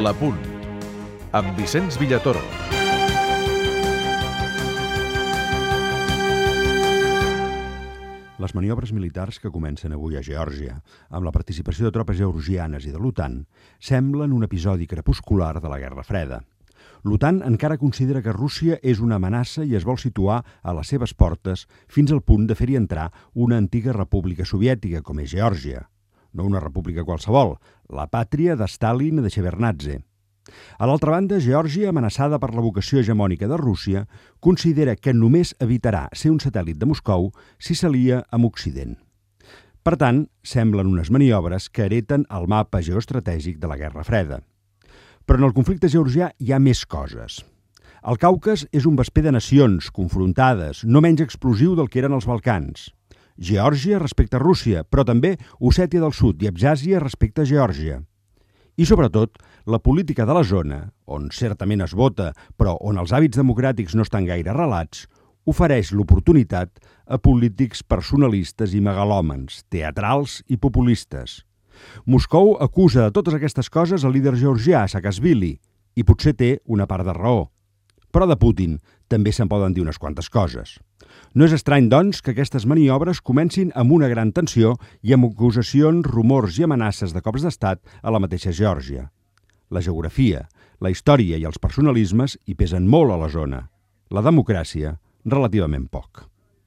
La Punt, amb Vicenç Villatoro. Les maniobres militars que comencen avui a Geòrgia, amb la participació de tropes georgianes i de l'OTAN, semblen un episodi crepuscular de la Guerra Freda. L'OTAN encara considera que Rússia és una amenaça i es vol situar a les seves portes fins al punt de fer-hi entrar una antiga república soviètica com és Geòrgia. No una república qualsevol, la pàtria de Stalin i de Shevardnadze. A l'altra banda, Geòrgia, amenaçada per la vocació hegemònica de Rússia, considera que només evitarà ser un satèl·lit de Moscou si s'alia amb Occident. Per tant, semblen unes maniobres que hereten el mapa geoestratègic de la Guerra Freda. Però en el conflicte georgià hi ha més coses. El Caucas és un vesper de nacions confrontades, no menys explosiu del que eren els Balcans. Geòrgia respecte a Rússia, però també Ossètia del Sud i Abkhàzia respecte a Geòrgia. I, sobretot, la política de la zona, on certament es vota, però on els hàbits democràtics no estan gaire arrelats, ofereix l'oportunitat a polítics personalistes i megalòmans, teatrals i populistes. Moscou acusa de totes aquestes coses al líder georgià, Saakashvili, i potser té una part de raó. Però de Putin també se'n poden dir unes quantes coses. No és estrany, doncs, que aquestes maniobres comencin amb una gran tensió i amb acusacions, rumors i amenaces de cops d'estat a la mateixa Geòrgia. La geografia, la història i els personalismes hi pesen molt a la zona. La democràcia, relativament poc.